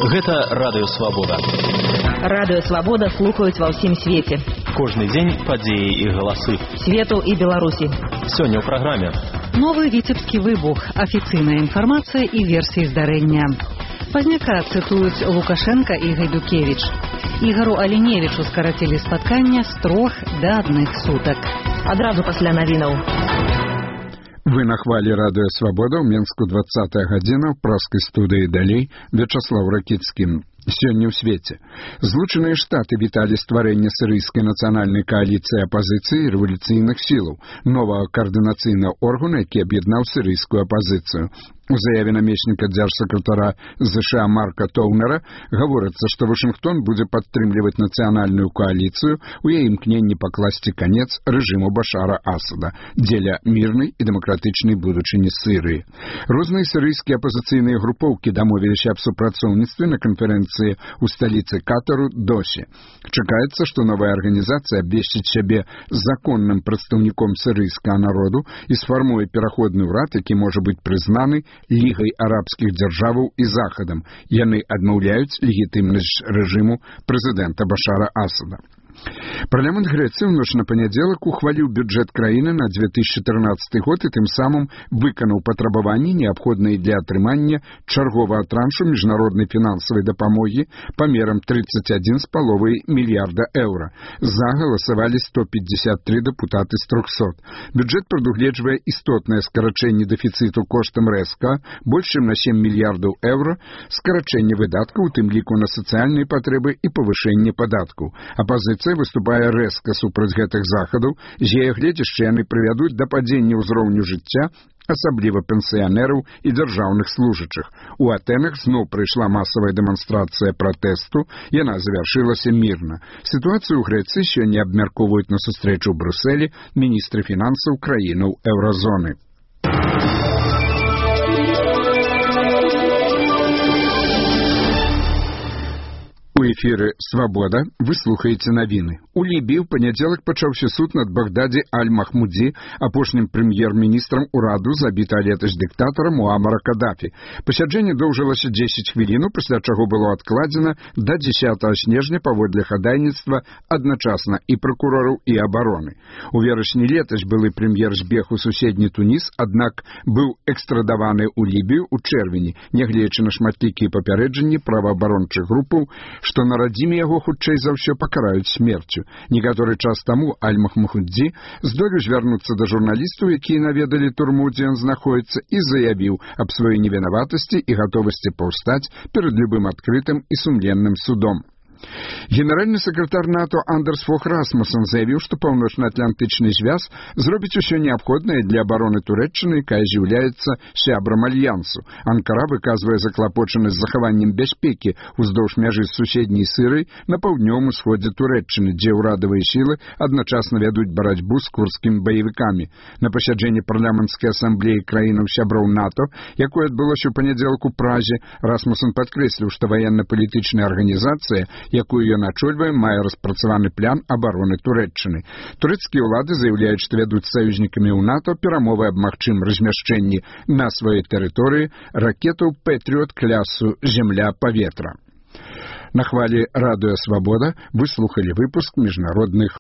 Гэта Радыё Свабода. Радыё Свабода слухаюць ва ўсім свеце. Кожны дзень падзеі і галасы Свету і Беларусі. Сёння ў праграме. Новы віцебскі выбух, афіцыйная інфармацыя і версіі здарэння. Пазняка цытуюць Лукашенка і Гайдукевіч. Ігару Аліневічу скарацілі спаткання з 3 да 1 сутак. Адразу пасля навінаў. Вы на хвалі Радыё Свабода, ў Менску 20 гадзіна, ў праскай студыі далей Вячаслав Ракіцкі. Сёння ў свеце. Злучаныя Штаты віталі стварэнне сірыйскай нацыянальнай кааліцыі апазіцыі і рэвалюцыйных сілаў, новага каардынацыйнага органа, які аб'яднаў сірыйскую апазіцыю. У заяве намесніка дзяржсакратара ЗША Марка Тоўнера гаворыцца, што Вашынгтон будзе падтрымліваць нацыянальную кааліцыю у яе імкненні пакласці канец рэжыму Башара Асада дзеля мірнай і дэмакратычнай будучыні Сірыі. Розныя сірыйскія апазіцыйныя групоўкі дамовіліся аб супрацоўніцтве на канферэнцыі ў сталіцы Катару Дохі. Чакаецца, што новая арганізацыя абвесціць сябе законным прадстаўніком сірыйскага народу і сфармуе пераходны ўрад, які можа быць прызнаны Лігай арабскіх дзяржаваў і Захадам. Яны адмаўляюць легітымнасць рэжыму прэзідэнта Башара Асада. Парламент Грэцыі ў ноч на панядзелак ухваліў бюджэт краіны на 2014 год і тым самым выканаў патрабаванні, неабходныя для атрымання чарговага траншу міжнароднай фінансавай дапамогі памерам 31,5 мільярда еўра. За галасавалі 153 дэпутаты з 300. Бюджэт прадугледжвае істотнае скарачэнне дэфіцыту коштам рэзка, больш чым на 7 мільярдаў еўра, скарачэнне выдаткаў, у тым ліку на сацыяльныя патрэбы і павышэнне падаткаў. Апазіцыя выступае рэзка супраць гэтых захадаў, з яе гледзяшча яны прывядуць да падзення ўзроўню жыцця, асабліва пенсіянераў і дзяржаўных служачых. У Атэнах зноў прыйшла масавая дэманстрацыя пратэсту, яна завяршылася мірна. Сітуацыю ў Грэцыі сёння абмяркоўваюць на сустрэчу ў Брюсселі міністры фінансаў краінаў еўразоны. У эфіры «Свабода» вы слухаеце навіны. У Лібіі ў панядзелак пачаўся суд над Багдаді Аль-Махмудзі, апошнім прэм'ер-міністрам ураду, забіта летась дыктатара Муамара Кадафі. Пасяджэнне доўжылася 10 хвілінаў, пасля чаго было адкладзена да 10 снежня паводле хадайніцтва адначасна і пракурораў, і абароны. У верасні летась былы прэм'ер збег у суседні Туніс, аднак быў экстрадаваны ў Лібію ў чэрвені, нягледзячы на шматлікія папярэджанні праваабарончых групаў, што на радзіме яго хутчэй за ўсё пакараюць смерцю. Некаторы час таму Аль-Махмудзі здолеў звярнуцца да журналістаў, якія наведалі турму, дзе ён знаходзіцца, і заявіў аб сваёй невінаватасці і гатовасці паўстаць перад любым адкрытым і сумленным судом. Генеральны сакратар НАТО Андерс Фог Расмуссен заявіў, што паўночна-атлантычны звяз зробіць усё неабходнае для абароны Турэччыны, якая з'яўляецца сябрам альянсу. Анкара выказвае заклапочанасць захаваннем бяспекі ўздоўж мяжы з суседняй Сірыяй на паўднёвым усходзе Турэччыны, дзе ўрадавыя сілы адначасна вядуць барацьбу з курдскімі баевікамі. На пасяджэнні парламенцкай асамблеі краінаў сяброў НАТО, якое адбылося ў панядзелак у Празе, Расмуссен падкрэсліў, што ваенна-палітычная арганізацыя, якую ён ачольвае, мае распрацаваны план абароны Турэччыны. Турэцкія ўлады заяўляюць, што вядуць з саюзнікамі ў НАТО перамовы аб магчымым размяшчэнні на сваёй тэрыторыі ракетаў «Пэтріот» класу «Земля-паветра». На хвалі Радыё Свабода вы слухалі выпуск міжнародных